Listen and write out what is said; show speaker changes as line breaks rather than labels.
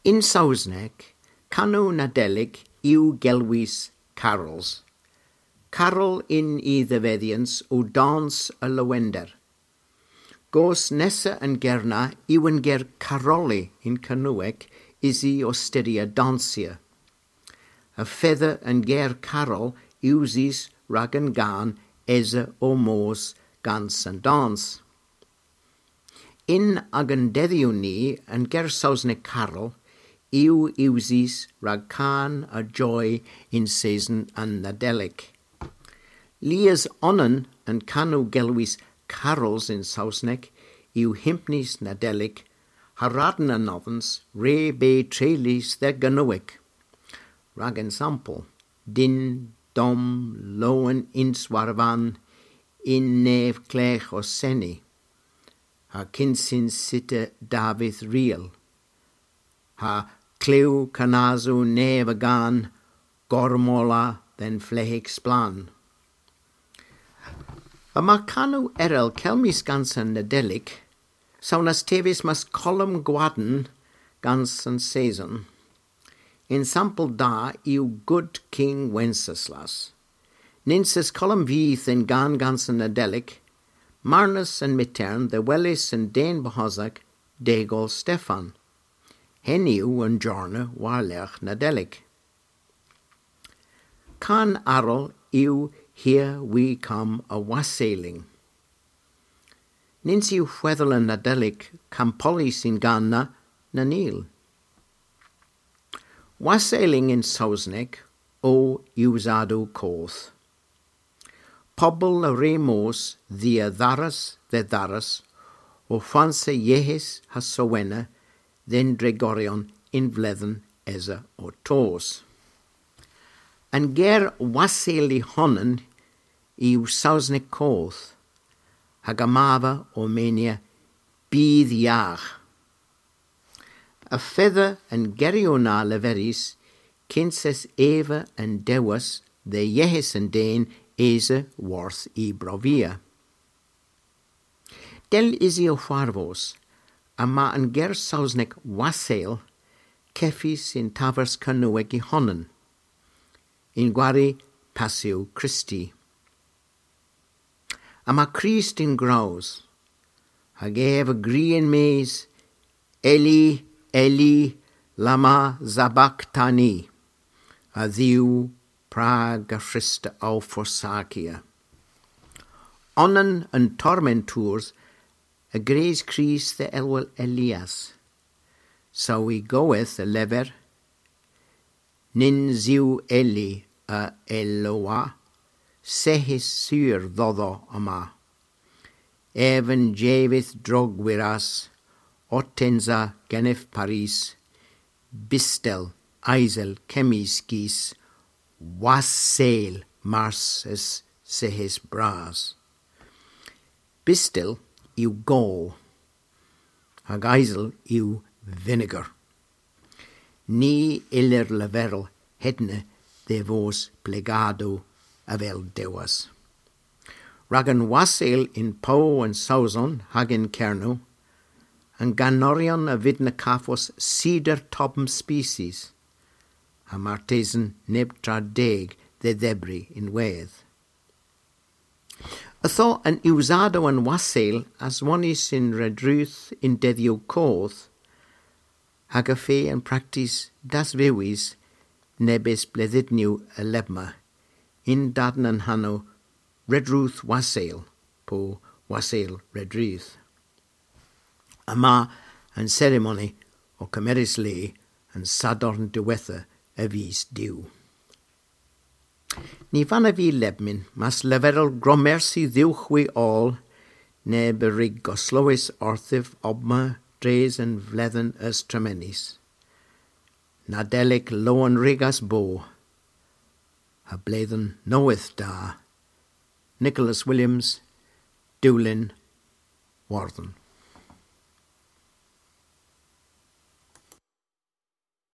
In Saesneg, canu Nadolig yw gelwys carols. Carol in i ddefeddians o dans y lywender. Gos nesa yn gerna yw yn ger caroli in Cernyweg is i osteria dansia. Y fedda yn ger carol iwsis rag yn gan esa o mos gans yn dans. In ag yn deddiw ni yn ger Saesneg carol yw iwsis rag can a joy in season yn Nadolig. Lias onan yn canu gelwys carols in Saesneg yw himpnis Nadolig haraden yn oddens re be trelis the gynwig. Rag ensample, din dom loen inswarvan in nef clech o seni, ha cynsin sitte David riel, ha clyw canazu nef a gan, gormola den flehig splan. Y mae canu erel celmis gans yn Nadolig, sawnas tevis mas column gwaden gans yn saison. Ensample da yw Good King Wenceslas. Ninses column fydd yn gan gans yn Nadolig, Marnus yn Mitern, the Wellis yn Den Bohozag, Degol Stefan. Hen yw yn Jorna warlech Nadolig. Can arol yw Here We Come a Wassailing. Nins yw chweddel yn Nadolig campoli sy'n ganna na nil. Wassailing in Saesneg o iwsado coth. Pobl y re mos ddi a ddaras dde ddaras o ffanse iehis ha sowena den dregorion in vledden esa o tos. Yn ger wasail i honan yw Saesneg coth, hag amava o menia bydd iach. Y fedda yn gerio na leferis, cynses Eva yn dewas dde iehis yn den esa worth i brofia. Del isi o chwarfos, a ma yn ger Saesneg wasail ceffi sy'n tafers cynweg i honan. In gwari Passio Christi. A ma Christ in graws, hag ef y green maes, Eli, Eli, lama sabachthani, a ddiw prag a Christa au forsacia. Onan yn tormentwrs y greis Christ the elwel Elias, so i goeth y lefer, nin ziw Eli a Eloa, sehis syr ddoddo yma. Ef yn jefydd drogwyras, otensa genif Paris, bistel, aisel, cemis gis, wasail marses sehis bras. Bistel yw gol, hag aisel yw vinegar. Ni ilir leferl hedne de vos plegado avel dewas. Rag yn wasail in po yn Sauzon hag in Cerno, yn ganorion y fyd na caffos cedar tobm species, a martesen neb tra deg dde ddebri in wedd. Ytho yn iwsado yn wasail as wanis in redruth in deddiw coth, hag y fe yn practis das fewis nebys bleddidniw y lebma, in dadn yn hanno redruth wasail, po wasail redruth. Yma yn seremoni o cymerys le yn sadorn diwetha y fus diw. Ni fan y fi lebmin, mas leferol gromersi ddiwchwi ôl, neb y rig goslowys orthif obma dres yn fledden ys tremenis. Nadelig loan rigas bo, a bledden noeth da. Nicholas Williams, Dulin, Warden.